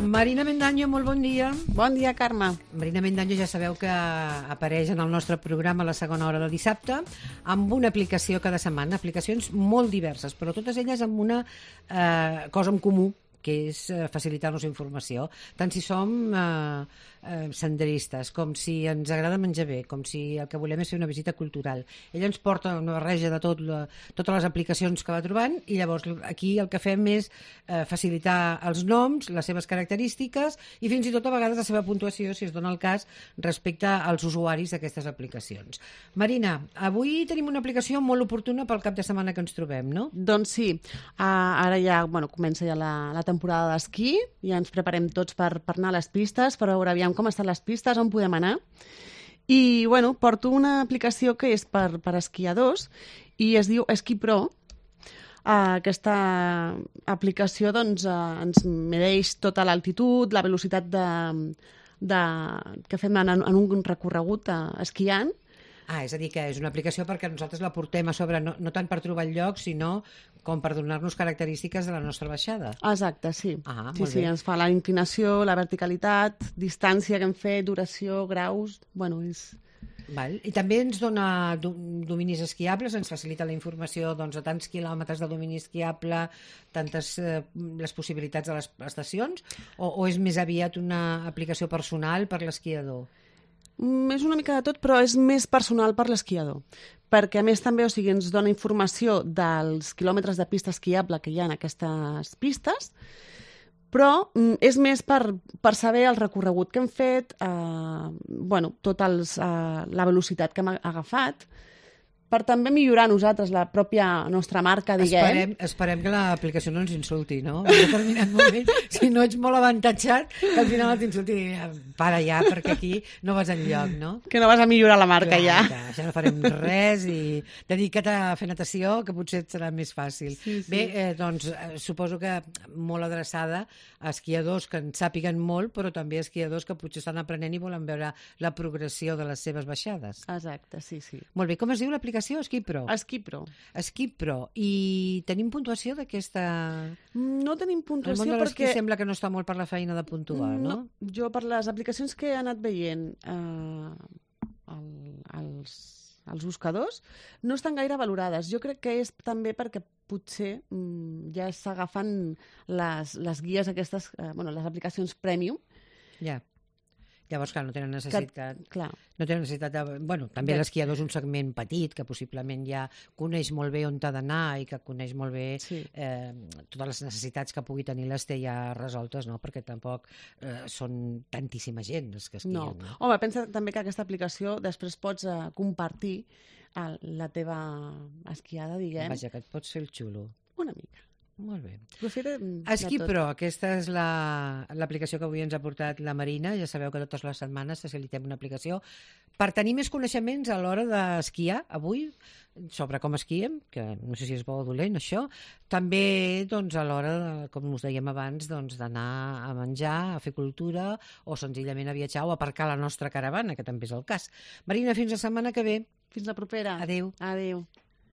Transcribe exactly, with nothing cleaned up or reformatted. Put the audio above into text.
Marina Mendaño, molt bon dia. Bon dia, Carme. Marina Mendaño ja sabeu que apareix en el nostre programa a la segona hora de dissabte amb una aplicació cada setmana, aplicacions molt diverses, però totes elles amb una eh, cosa en comú, que és eh, facilitar-nos informació, tant si som eh, eh, senderistes, com si ens agrada menjar bé, com si el que volem és fer una visita cultural. Ella ens porta una barreja de tot, la, totes les aplicacions que va trobant i llavors aquí el que fem és eh, facilitar els noms, les seves característiques i fins i tot a vegades la seva puntuació, si es dona el cas, respecte als usuaris d'aquestes aplicacions. Marina, avui tenim una aplicació molt oportuna pel cap de setmana que ens trobem, no? Doncs sí, uh, ara ja bueno, comença ja la, la temporada d'esquí, ja ens preparem tots per, per anar a les pistes, per veure aviam com estan les pistes, on podem anar. I, bueno, porto una aplicació que és per, per esquiadors i es diu Esquí Pro. Uh, aquesta aplicació doncs, uh, ens medeix tota l'altitud, la velocitat de, de, que fem en, en un recorregut uh, esquiant. Ah, és a dir, que és una aplicació perquè nosaltres la portem a sobre, no, no tant per trobar el lloc, sinó com per donar-nos característiques de la nostra baixada. Exacte, sí. Ah, sí, sí, ens fa la inclinació, la verticalitat, distància que hem fet, duració, graus... Bueno, és... Val. I també ens dona dominis esquiables, ens facilita la informació doncs, de tants quilòmetres de domini esquiable, tantes eh, les possibilitats de les estacions, o, o és més aviat una aplicació personal per l'esquiador? Mm, és una mica de tot, però és més personal per l'esquiador. Perquè, a més, també o sigui, ens dona informació dels quilòmetres de pista esquiable que hi ha en aquestes pistes, però mm, és més per, per saber el recorregut que hem fet, eh, bueno, tot els, eh, la velocitat que hem agafat, per també millorar nosaltres la pròpia nostra marca, diguem. Esperem, esperem que l'aplicació no ens insulti, no? En un determinat moment, si no ets molt avantatjat, que al final t'insulti i digui, para ja, perquè aquí no vas enlloc, no? Que no vas a millorar la marca, clar, ja. Clar, ja no farem res i dedica't a fer natació, que potser et serà més fàcil. Sí, sí. Bé, eh, doncs, eh, suposo que molt adreçada a esquiadors que en sàpiguen molt, però també a esquiadors que potser estan aprenent i volen veure la progressió de les seves baixades. Exacte, sí, sí. Molt bé, com es diu l'aplicació? Esquí Pro. Esquí Pro. Esquí Pro. I tenim puntuació d'aquesta... No tenim puntuació perquè... El món de l'esquí perquè... sembla que no està molt per la feina de puntuar, no? no? Jo, per les aplicacions que he anat veient eh, el, els, els buscadors, no estan gaire valorades. Jo crec que és també perquè potser mm, ja s'agafen les, les guies aquestes, eh, bueno, les aplicacions premium. Ja. Llavors, clar, no tenen necessitat... Que, clar. No tenen necessitat de... Bueno, també de... l'esquiador és un segment petit, que possiblement ja coneix molt bé on t'ha d'anar i que coneix molt bé sí. eh, totes les necessitats que pugui tenir les té ja resoltes, no? Perquè tampoc eh, són tantíssima gent els que esquien. No. no? Home, pensa també que aquesta aplicació després pots eh, compartir el, la teva esquiada, diguem. Vaja, que et pots fer el xulo. Una mica. Molt bé. Profita Esquí Pro, aquesta és l'aplicació la, que avui ens ha portat la Marina. Ja sabeu que totes les setmanes facilitem una aplicació per tenir més coneixements a l'hora d'esquiar avui, sobre com esquiem, que no sé si és bo o dolent això, també doncs, a l'hora, com us dèiem abans, doncs, d'anar a menjar, a fer cultura o senzillament a viatjar o a aparcar la nostra caravana, que també és el cas. Marina, fins la setmana que ve. Fins la propera. Adéu. Adéu.